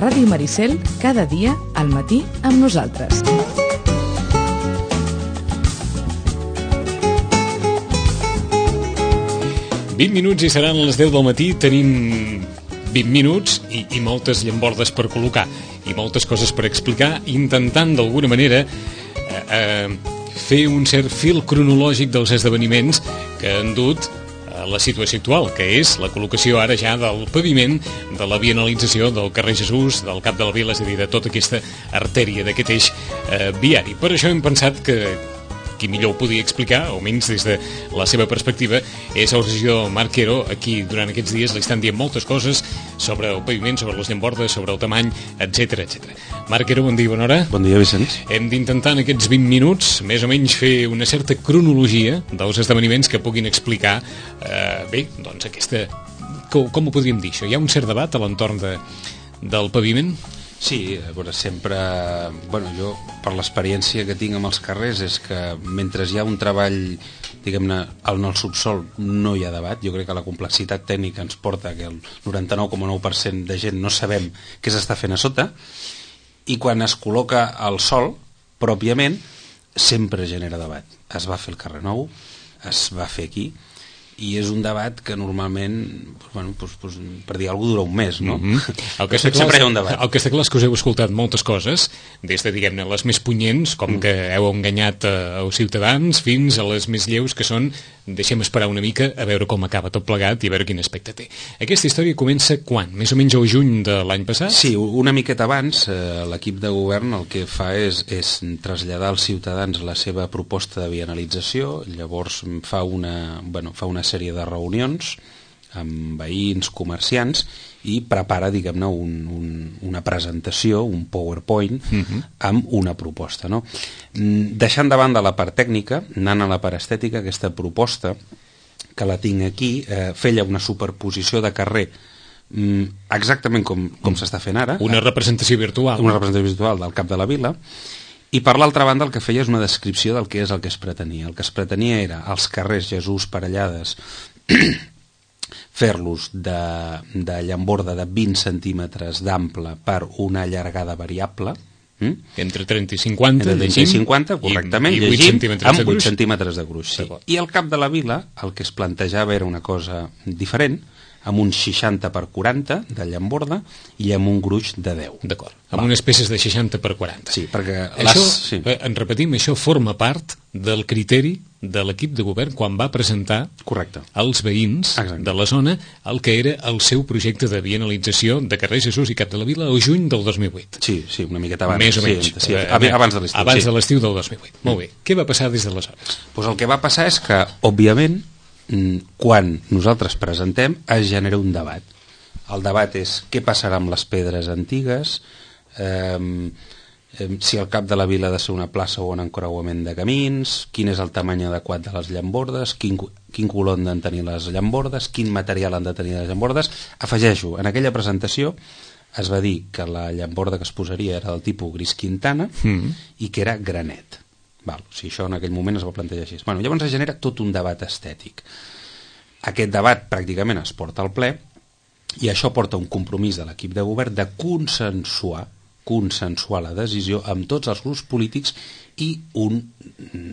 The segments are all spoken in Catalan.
Ràdio Maricel, cada dia, al matí, amb nosaltres. Minuts i seran les 10 del matí. Tenim 20 minuts i moltes llambordes per col·locar i moltes coses per explicar, intentant d'alguna manera fer un cert fil cronològic dels esdeveniments que han dut a la situació actual, que és la col·locació ara ja del paviment, de la vianalització del carrer Jesús, del Cap de la Vila, és a dir, de tota aquesta artèria d'aquest eix viari. Per això hem pensat que qui millor ho podia explicar, almenys des de la seva perspectiva, és el regidor Marc Quero. Aquí durant aquests dies li estan dient moltes coses sobre el paviment, sobre les llambordes, sobre el tamany, etc etc. Marc Quero, bon dia, bona hora. Bon dia, Vicenç. Hem d'intentar en aquests 20 minuts més o menys fer una certa cronologia dels esdeveniments que puguin explicar bé, doncs aquesta... Com ho podríem dir, això? Hi ha un cert debat a l'entorn del paviment? Sí, a veure, sempre... Bueno, jo, per l'experiència que tinc amb els carrers, és que mentre hi ha un treball, diguem-ne, en el subsol no hi ha debat. Jo crec que la complexitat tècnica ens porta que el 99,9% de gent no sabem què s'està fent a sota, i quan es col·loca al sol, pròpiament, sempre genera debat. Es va fer el carrer nou, es va fer aquí, i és un debat que normalment, bueno, per dir alguna cosa, dura un mes, no? El que està clar, el que està clar és que us heu escoltat moltes coses, des de, diguem-ne, les més punyents, com que heu enganyat els ciutadans, fins a les més lleus, que són deixem esperar una mica a veure com acaba tot plegat i a veure quin aspecte té. Aquesta història comença quan? Més o menys al juny de l'any passat? Sí, una miqueta abans. L'equip de govern el que fa és traslladar als ciutadans la seva proposta de vianalització. Llavors fa una sèrie de reunions amb veïns, comerciants, i prepara, diguem-ne, una presentació, un PowerPoint, amb una proposta, no? Deixant de banda la part tècnica, anant a la part estètica, aquesta proposta, que la tinc aquí, feia una superposició de carrer exactament com s'està fent ara. Una representació virtual. Una representació virtual del Cap de la Vila. I per l'altra banda el que feia és una descripció del que és el que es pretenia. El que es pretenia era els carrers Jesús, Parellades, fer-los de llamborda de 20 centímetres d'ample per una allargada variable, entre 30 i 50, entre 30 i 50, correctament, i 8 centímetres amb de gruix. 8 centímetres de gruix, sí. I al Cap de la Vila el que es plantejava era una cosa diferent, amb uns 60 per 40 de llamborda i amb un gruix de 10. D'acord, amb unes peces de 60 per 40. Sí, perquè en repetim, això forma part del criteri de l'equip de govern quan va presentar als veïns de la zona el que era el seu projecte de vianalització de carrer Jesús i Cap de la Vila al juny del 2008. Sí, una miqueta abans. Més o menys. Sí, abans de l'estiu. Abans de l'estiu del 2008. Molt bé. Què va passar des d'aleshores? Pues el que va passar és que, òbviament, quan nosaltres presentem es genera un debat. El debat és què passarà amb les pedres antigues, si el Cap de la Vila ha de ser una plaça o un encreuament de camins, quin és el tamany adequat de les llambordes, quin color han de tenir les llambordes, quin material han de tenir les llambordes. Afegeixo, en aquella presentació es va dir que la llamborda que es posaria era del tipus gris Quintana i que era granet. O sigui, això en aquell moment es va plantejar així. Llavors es genera tot un debat estètic. Aquest debat pràcticament es porta al ple i això porta un compromís de l'equip de govern de consensuar la decisió amb tots els grups polítics i un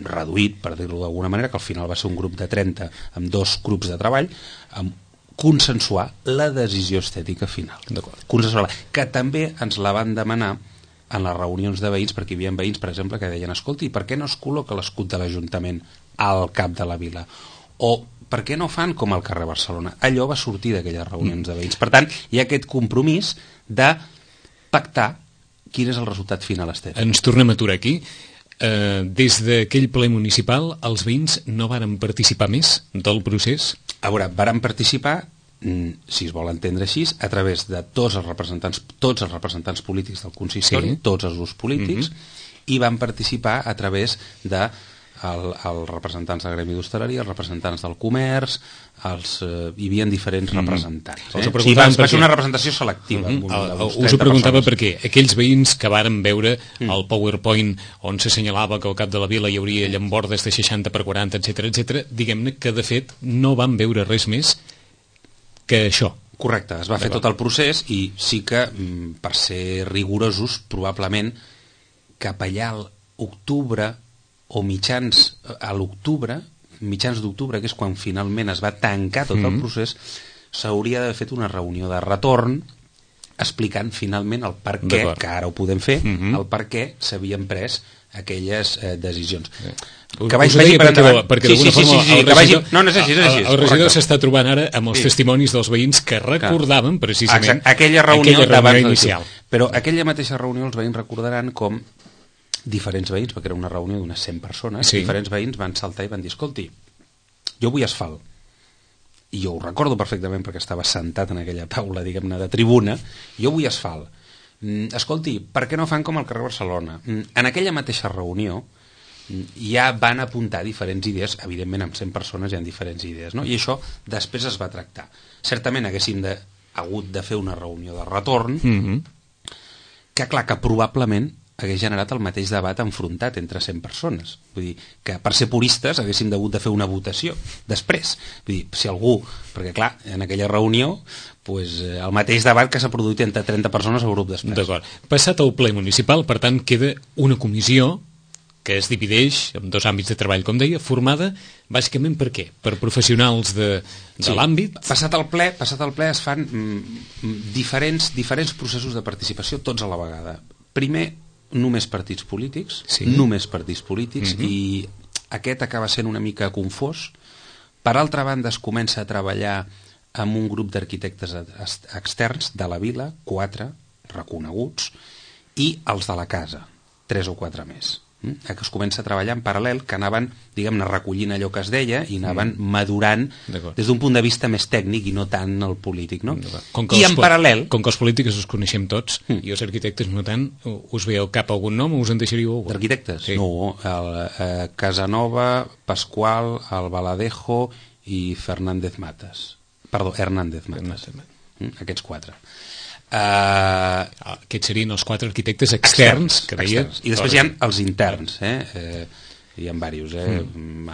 reduït, per dir-ho d'alguna manera, que al final va ser un grup de 30 amb 2 grups de treball, amb consensuar la decisió estètica final. Consensuar-la, que també ens la van demanar en les reunions de veïns, perquè hi havia veïns, per exemple, que deien, escolti, per què no es col·loca l'escut de l'Ajuntament al Cap de la Vila? O per què no fan com al carrer Barcelona? Allò va sortir d'aquelles reunions de veïns. Per tant, hi ha aquest compromís de pactar quin és el resultat final estètic. Ens tornem a aturar aquí. Des d'aquell ple municipal, els veïns no varen participar més del procés? A veure, varen participar, si es vol entendre així, a través de tots els representants polítics del consistori, tots els grups polítics, i van participar a través de els representants del gremi d'hostaleria, els representants del comerç, hi havia diferents representants. Va ser una representació selectiva. Us ho preguntava perquè aquells veïns que varen veure el PowerPoint on s'assenyalava que al Cap de la Vila hi hauria llambordes de 60 per 40, etc, diguem-ne que de fet no van veure res més que això. Correcte, es va fer tot el procés i sí que, per ser rigorosos, probablement cap allà a l'octubre o mitjans d'octubre, que és quan finalment es va tancar tot el procés, s'hauria d'haver fet una reunió de retorn explicant finalment el per què, que ara ho podem fer, el per què s'havien pres aquelles decisions. Que vaig dir perquè d'alguna forma el regidor s'està trobant ara amb els testimonis dels veïns que recordaven precisament aquella reunió inicial. Però aquella mateixa reunió els veïns recordaran com diferents veïns, perquè era una reunió d'unes 100 persones, diferents veïns van saltar i van dir, escolti, jo vull asfalt. I jo ho recordo perfectament perquè estava sentat en aquella taula, diguem-ne, de tribuna, jo vull asfalt. Escolti, per què no fan com al carrer Barcelona? En aquella mateixa reunió ja van apuntar diferents idees, evidentment amb 100 persones hi ha diferents idees, no? I això després es va tractar. Certament haguéssim hagut de fer una reunió de retorn, que clar, que probablement hagués generat el mateix debat enfrontat entre 100 persones. Vull dir, que per ser puristes haguéssim hagut de fer una votació després. Vull dir, si algú... Perquè clar, en aquella reunió el mateix debat que s'ha produït entre 30 persones al grup després. D'acord. Passat el ple municipal, per tant, queda una comissió que es divideix en dos àmbits de treball, com deia, formada bàsicament per què? Per professionals de l'àmbit? Passat el ple es fan diferents processos de participació, tots a la vegada. Primer, només partits polítics, i aquest acaba sent una mica confós. Per altra banda, es comença a treballar amb un grup d'arquitectes externs de la vila, 4 reconeguts, i els de la casa, 3 o 4 més. Que es comença a treballar en paral·lel, que anaven, diguem-ne, recollint allò que es deia i anaven madurant des d'un punt de vista més tècnic i no tant el polític, no? I en paral·lel... Com que els polítics us coneixem tots, i els arquitectes no tant, us ve al cap algun nom o us en deixaríeu algun? D'arquitectes? Sí. No, Casanova, Pasqual, Albaladejo i Hernández Matas. Aquests 4. Aquests serien els 4 arquitectes externs que deia... I després hi ha els interns, hi ha diversos,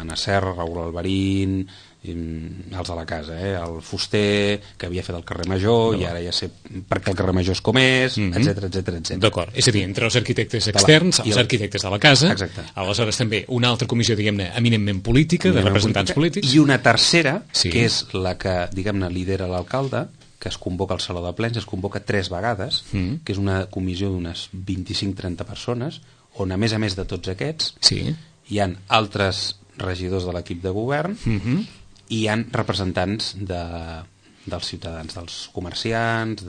Anna Serra, Raül Alvarín, els de la casa, el fuster que havia fet el carrer Major i ara ja sé perquè el carrer Major és com és, etc. D'acord, és a dir, entre els arquitectes externs, els arquitectes de la casa, aleshores també una altra comissió, diguem-ne, eminentment política, de representants polítics, i una tercera, que és la que, diguem-ne, lidera l'alcalde, que es convoca al Saló de Plens, es convoca 3 vegades, que és una comissió d'unes 25-30 persones, on a més de tots aquests hi han altres regidors de l'equip de govern i hi han representants dels ciutadans, dels comerciants,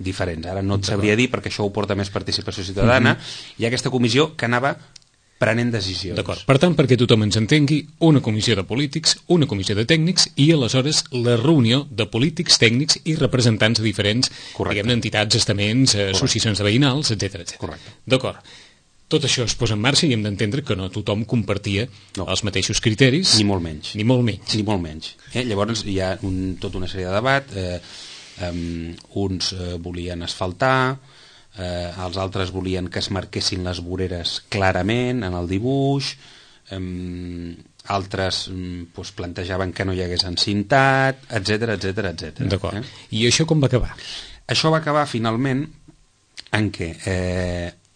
diferents. Ara no et sabria dir perquè això ho porta més participació ciutadana. Hi ha aquesta comissió que anava prenent decisions. D'acord. Per tant, perquè tothom ens entengui, una comissió de polítics, una comissió de tècnics i aleshores la reunió de polítics, tècnics i representants de diferents entitats, estaments, associacions de veïnals, etc. Correcte. D'acord. Tot això es posa en marxa i hem d'entendre que no tothom compartia els mateixos criteris. Ni molt menys. Llavors hi ha tota una sèrie de debat. Uns volien asfaltar, els altres volien que es marquessin les voreres clarament en el dibuix, altres plantejaven que no hi hagués encintat, etc. D'acord. I això com va acabar? Això va acabar finalment en què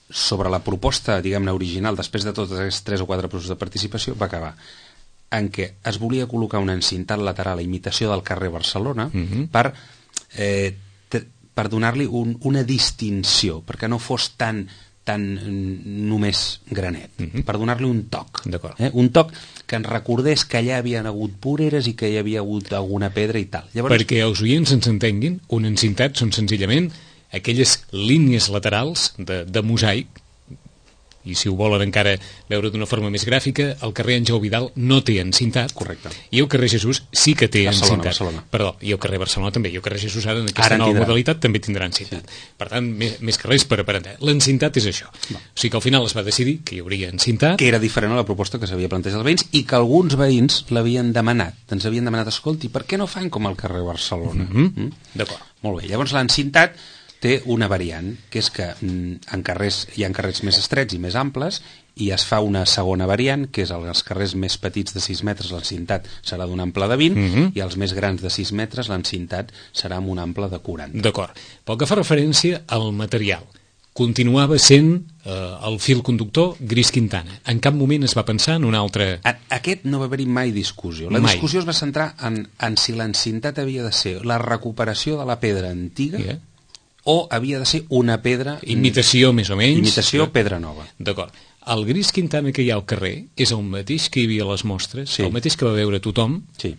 sobre la proposta, diguem-ne, original, després de tots aquests 3 o 4 processos de participació, va acabar en què es volia col·locar un encintat lateral a imitació del carrer Barcelona per donar-li una distinció, perquè no fos tan només granet, per donar-li un toc. Un toc que ens recordés que allà havien hagut voreres i que hi havia hagut alguna pedra i tal. Llavors, perquè els oients ens entenguin, un encintat són senzillament aquelles línies laterals de mosaic, i si ho volen encara veure d'una forma més gràfica, el carrer Àngel Vidal no té encintat. Correcte. I el carrer Jesús sí que té encintat. Barcelona. Perdó, i el carrer Barcelona també. I el carrer Jesús ara en aquesta nova modalitat també tindrà encintat. Sí. Per tant, més que res per aprendre. L'encintat és això. O sigui que al final es va decidir que hi hauria encintat. Que era diferent a la proposta que s'havia plantejat als veïns i que alguns veïns l'havien demanat. Ens havien demanat, escolti, per què no fan com al carrer Barcelona? D'acord. Molt bé. Llavors l'encintat té una variant, que és que hi ha carrers més estrets i més amples, i es fa una segona variant, que és els carrers més petits de 6 metres l'encintat serà d'un ample de 20 i els més grans de 6 metres l'encintat serà amb un ample de 40. D'acord. Pel que fa referència al material, continuava sent el fil conductor gris Quintana. En cap moment es va pensar en un altre... Aquest no va haver-hi mai discussió. La discussió es va centrar en si l'encintat havia de ser la recuperació de la pedra antiga o havia de ser una pedra... Imitació, més o menys. Imitació, pedra nova. D'acord. El gris Quintana que hi ha al carrer és el mateix que hi havia a les mostres, el mateix que va veure tothom? Sí,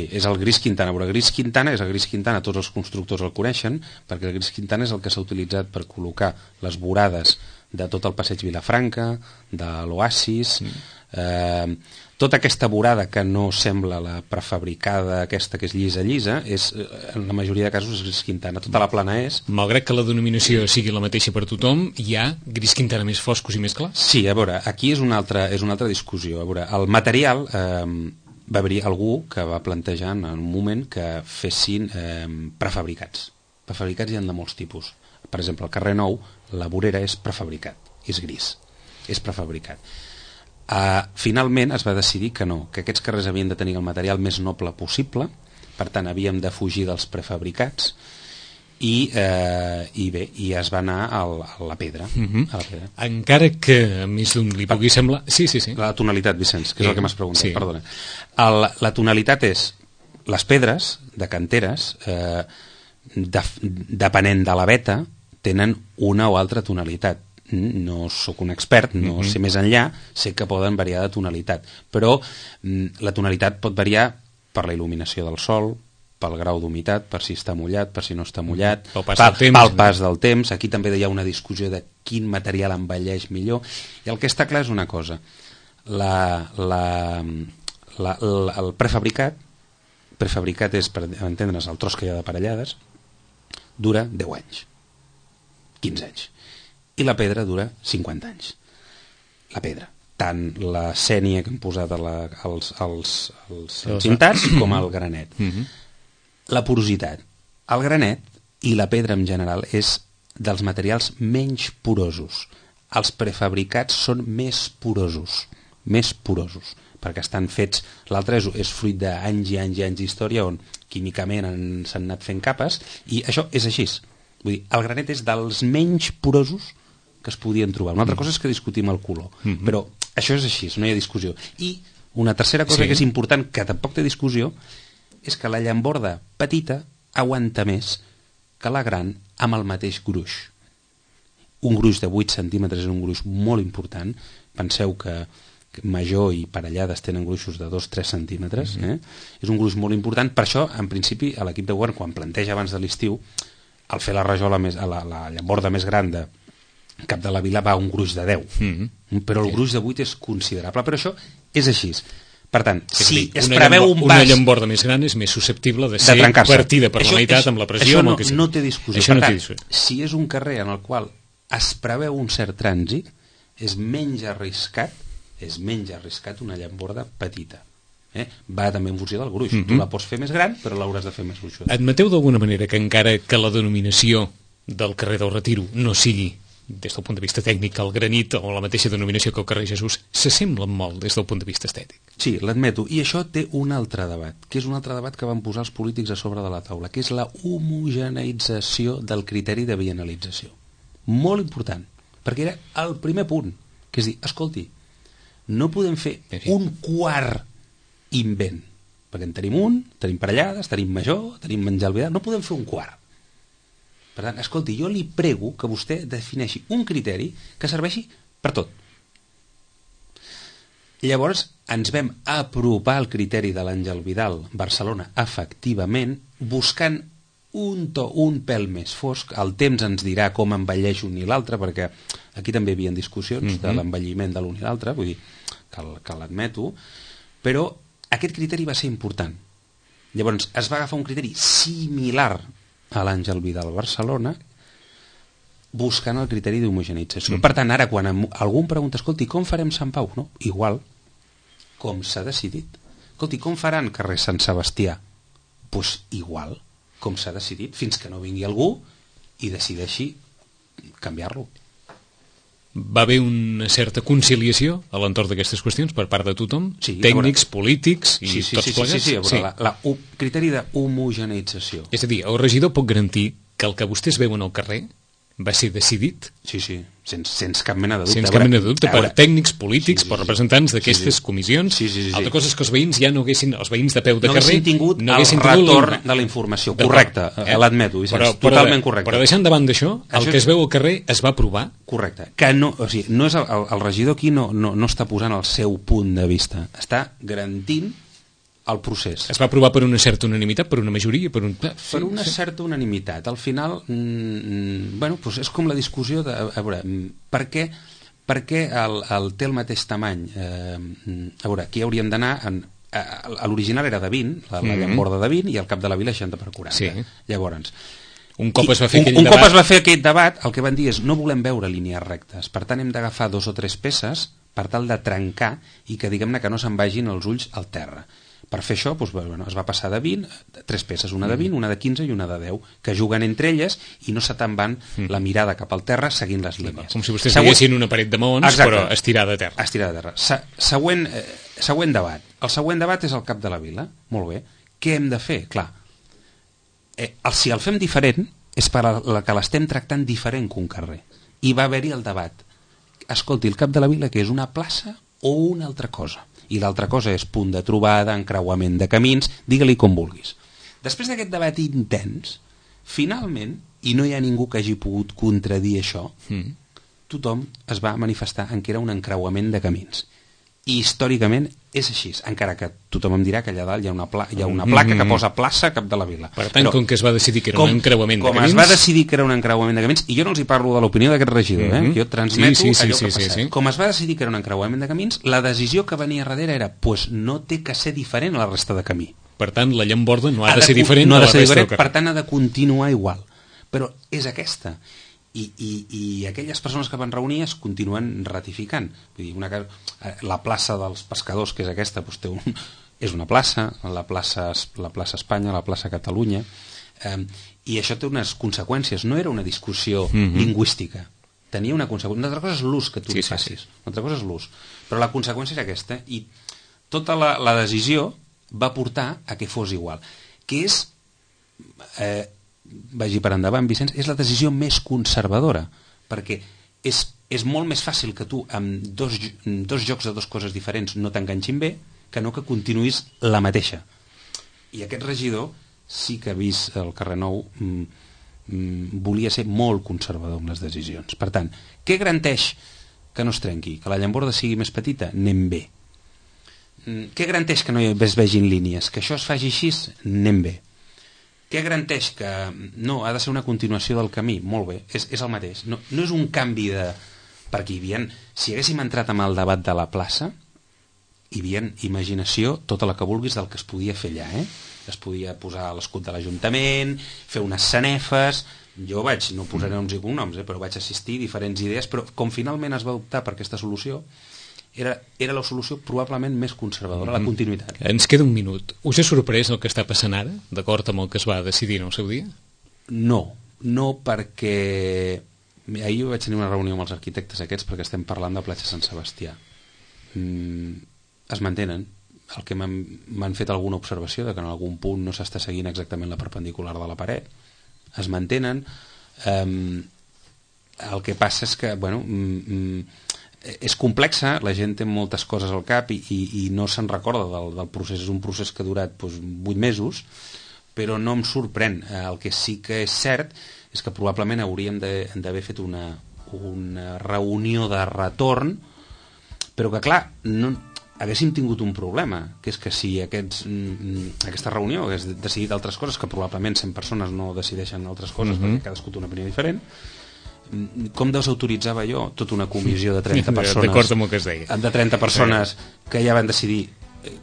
és el gris Quintana. Però el gris Quintana és el gris Quintana, tots els constructors el coneixen, perquè el gris Quintana és el que s'ha utilitzat per col·locar les vorades de tot el passeig Vilafranca, de l'Oasis, tota aquesta vorada que no sembla la prefabricada aquesta que és llisa, és, en la majoria de casos és gris Quintana, tota la plana és. Malgrat que la denominació sigui la mateixa per tothom, hi ha gris Quintana més foscos i més clars? Sí, a veure, aquí és una altra discussió. A veure, el material... va haver-hi algú que va plantejar en un moment que fessin prefabricats. Prefabricats hi ha de molts tipus. Per exemple, al carrer Nou, la vorera és prefabricat, és gris, és prefabricat. Finalment es va decidir que no, que aquests carrers havien de tenir el material més noble possible, per tant havíem de fugir dels prefabricats, i es va anar a la pedra. Encara que a més d'un li pugui semblar... Sí. La tonalitat, Vicenç, que és el que m'has preguntat, perdona. La tonalitat és les pedres de canteres, depenent de la veta, tenen una o altra tonalitat. No sóc un expert, no sé més enllà, sé que poden variar de tonalitat, però la tonalitat pot variar per la il·luminació del sol, pel grau d'humitat, per si està mullat, per si no està mullat, pel pas del temps. Aquí també hi ha una discussió de quin material envelleix millor, i el que està clar és una cosa: el prefabricat és, per entendre's, el tros que hi ha d'aparellades, dura 10 anys, 15 anys, i la pedra dura 50 anys. La pedra, tant la sènia que hem posat als encintats com el granet. La porositat. El granet i la pedra en general és dels materials menys porosos. Els prefabricats són més porosos, perquè estan fets... L'altre és fruit d'anys i anys i anys d'història on químicament s'han anat fent capes, i això és així. Vull dir, el granet és dels menys porosos que es podien trobar. Una altra cosa és que discutim el color, però això és així, no hi ha discussió. I una tercera cosa que és important, que tampoc té discussió, és que la llamborda petita aguanta més que la gran amb el mateix gruix. Un gruix de 8 centímetres és un gruix molt important. Penseu que major i parellades tenen gruixos de 2-3 centímetres. És un gruix molt important. Per això, en principi, a l'equip de govern, quan planteja abans de l'estiu, al fer la rajola la llamborda més gran de Cap de la Vila va a un gruix de 10. Però el gruix de 8 és considerable. Però això és així. Per tant, si es preveu un pas... Una llamborda més gran és més susceptible de ser partida per la meitat amb la pressió. Això no té discussió. Per tant, si és un carrer en el qual es preveu un cert trànsit, és menys arriscat una llamborda petita. Va també en funció del gruix. Tu la pots fer més gran, però l'hauràs de fer més gruixuda. Admeteu d'alguna manera que encara que la denominació del carrer del Retiro no sigui, des del punt de vista tècnic, el granit o la mateixa denominació que el carrer Jesús, s'assemblen molt des del punt de vista estètic? Sí, l'admeto. I això té un altre debat, que és un altre debat que van posar els polítics a sobre de la taula, que és la homogeneïtzació del criteri de bienalització. Molt important, perquè era el primer punt, que és dir, escolti, no podem fer un quart invent, perquè en tenim parellades, tenim major, tenim menjar al vidal, no podem fer un quart. Per tant, escolti, jo li prego que vostè defineixi un criteri que serveixi per tot. Llavors, ens vam apropar al criteri de l'Àngel Vidal Barcelona, efectivament, buscant un pèl més fosc. El temps ens dirà com envelleix un i l'altre, perquè aquí també hi havia discussions de l'envelliment de l'un i l'altre, vull dir, que l'admeto, però aquest criteri va ser important. Llavors, es va agafar un criteri similar a l'Àngel Vidal Barcelona, buscant el criteri d'homogeneïtzació. Per tant, ara, quan algú em pregunta, escolti, com farem Sant Pau? No? Igual, com s'ha decidit. Escolti, com faran carrer Sant Sebastià? Doncs igual, com s'ha decidit, fins que no vingui algú i decideixi canviar-lo. Va haver una certa conciliació a l'entorn d'aquestes qüestions per part de tothom? Sí, tècnics, polítics i tots plegats? Sí. El criteri d'homogeneïtzació. És a dir, el regidor pot garantir que el que vostès veuen al carrer va ser decidit? Sí, sense cap mena de dubte. Sense cap mena de dubte, per tècnics, polítics, per representants d'aquestes comissions. Altra cosa és que els veïns ja no haguessin, els veïns de peu de carrer... No haguessin tingut el retorn de la informació. Correcte, l'admeto, Vicenç, totalment correcte. Però deixant davant d'això, el que es veu al carrer es va aprovar? Correcte. Que no, o sigui, no és el regidor aquí no està posant el seu punt de vista, està garantint el procés. Es va aprovar per una certa unanimitat, per una majoria? Per una certa unanimitat. Al final, bueno, doncs és com la discussió de... A veure, per què té el mateix tamany? A veure, aquí hauríem d'anar... L'original era de 20, la llamborda de 20, i el cap de la vila 60 per 40. Sí. Llavors... Un cop es va fer aquell debat, el que van dir és no volem veure línies rectes, per tant hem d'agafar 2 o 3 peces per tal de trencar i que diguem-ne que no se'n vagin els ulls al terra. Per fer això doncs, bueno, es va passar de 20, 3 peces, una de 20, una de 15 i una de 10, que juguen entre elles i no se te'n van la mirada cap al terra seguint les línies. Com si vostès diguessin una paret de maons, exacte, però estirada a terra. Estirada a terra. Següent debat. El següent debat és el cap de la vila. Molt bé. Què hem de fer? Clar, si el fem diferent és per la que l'estem tractant diferent que un carrer. I va haver-hi el debat. Escolti, el cap de la vila que és una plaça o una altra cosa? I l'altra cosa és punt de trobada, encreuament de camins, digue-li com vulguis. Després d'aquest debat intens, finalment, i no hi ha ningú que hagi pogut contradir això, tothom es va manifestar en que era un encreuament de camins. I històricament és així, encara que tothom em dirà que allà dalt hi ha una placa que posa plaça cap de la vila. Per tant, com que es va decidir que era un encreuament de camins... Com es va decidir que era un encreuament de camins, i jo no els hi parlo de l'opinió d'aquest regidor, jo transmeto allò que ha passat. Com es va decidir que era un encreuament de camins, la decisió que venia darrere era pues no té que ser diferent a la resta de camí. Per tant, la llamborda no ha de ser diferent a la resta del carrer. Per tant, ha de continuar igual. Però és aquesta. I aquelles persones que van reunir es continuen ratificant. Vull dir, la plaça dels pescadors, que és aquesta, doncs és una plaça, la plaça Espanya, la plaça Catalunya, i això té unes conseqüències. No era una discussió lingüística, tenia una conseqüència. Una altra cosa és l'ús que tu li facis, una altra cosa és l'ús, però la conseqüència era aquesta, i tota la decisió va portar a que fos igual, que és... vagi per endavant, Vicenç, és la decisió més conservadora, perquè és molt més fàcil que tu amb dos jocs de 2 coses diferents no t'enganxin bé, que no que continuïs la mateixa. I aquest regidor sí que ha vist el carrer Nou, volia ser molt conservador amb les decisions. Per tant, què garanteix que no es trenqui? Que la llamborda sigui més petita? Anem bé. Què garanteix que no es vegin línies? Que això es faci així? Anem bé. Què garanteix que no, ha de ser una continuació del camí? Molt bé, és el mateix. No és un canvi de... Perquè si haguéssim entrat amb el debat de la plaça, hi havia imaginació, tota la que vulguis, del que es podia fer allà. Es podia posar l'escut de l'Ajuntament, fer unes sanefes... Jo no posaré noms i cognoms, però vaig assistir a diferents idees, però com finalment es va optar per aquesta solució, era la solució probablement més conservadora, la continuïtat. Ens queda un minut. Us ha sorprès el que està passant ara, d'acord amb el que es va decidir en el seu dia? No perquè... Ahir vaig tenir una reunió amb els arquitectes aquests perquè estem parlant de Platja Sant Sebastià. Es mantenen. El que m'han fet alguna observació de que en algun punt no s'està seguint exactament la perpendicular de la paret. Es mantenen. El que passa és que, bueno... és complexa, la gent té moltes coses al cap i no se'n recorda del procés. És un procés que ha durat 8 mesos, però no em sorprèn. El que sí que és cert és que probablement hauríem d'haver fet una reunió de retorn, però que clar, haguéssim tingut un problema, que és que si aquesta reunió hagués decidit altres coses, que probablement 100 persones no decideixen altres coses perquè cadascú té una opinió diferent, com desautoritzava jo tota una comissió de 30 persones d'acord amb el que es deia, de 30 persones que ja van decidir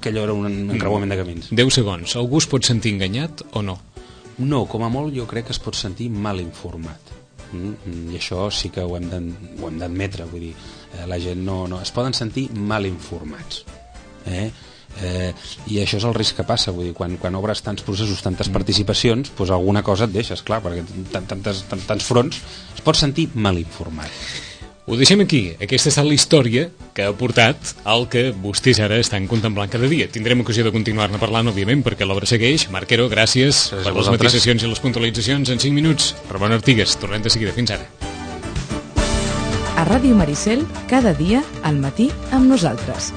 que allò era un encreuament de camins? 10 segons. Algú es pot sentir enganyat o no? No, com a molt jo crec que es pot sentir mal informat, i això sí que ho hem d'admetre. Vull dir, la gent no es poden sentir mal informats, I això és el risc que passa, vull dir, quan obres tants processos, tantes participacions, doncs alguna cosa et deixes, clar, perquè tants fronts es pot sentir mal informat. Ho deixem aquí. Aquesta ha estat la història que ha portat al que vostès ara estan contemplant cada dia. Tindrem ocasió de continuar-ne parlant, òbviament, perquè l'obra segueix. Marc Quero, gràcies per les matisacions i les puntualitzacions en 5 minuts. Ramon Artigues, tornem de seguida. Fins ara. A Ràdio Maricel, cada dia, al matí, amb nosaltres.